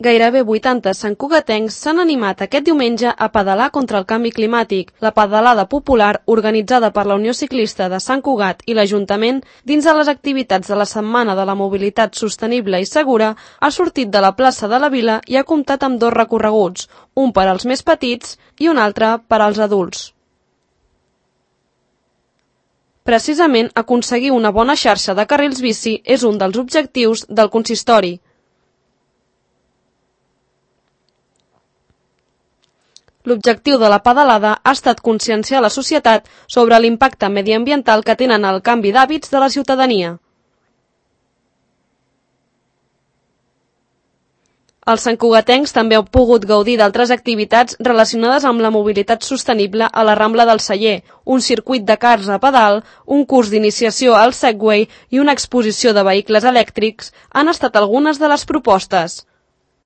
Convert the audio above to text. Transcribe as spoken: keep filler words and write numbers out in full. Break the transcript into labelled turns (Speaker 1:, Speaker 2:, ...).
Speaker 1: Gairebé vuitanta santcugatencs s'han animat aquest diumenge a pedalar contra el canvi climàtic. La pedalada popular, organitzada per la Unió Ciclista de Sant Cugat i l'Ajuntament, dins de les activitats de la Setmana de la Mobilitat Sostenible i Segura, ha sortit de la plaça de la Vila i ha comptat amb dos recorreguts, un per als més petits i un altre per als adults. Precisament, aconseguir una bona xarxa de carrils bici és un dels objectius del consistori. L'objectiu de la pedalada ha estat conscienciar la societat sobre l'impacte mediambiental que tenen el canvi d'hàbits de la ciutadania. Els santcugatencs també han pogut gaudir d'altres activitats relacionades amb la mobilitat sostenible a la Rambla del Celler, un circuit de cars a pedal, un curs d'iniciació al Segway i una exposició de vehicles elèctrics han estat algunes de les propostes.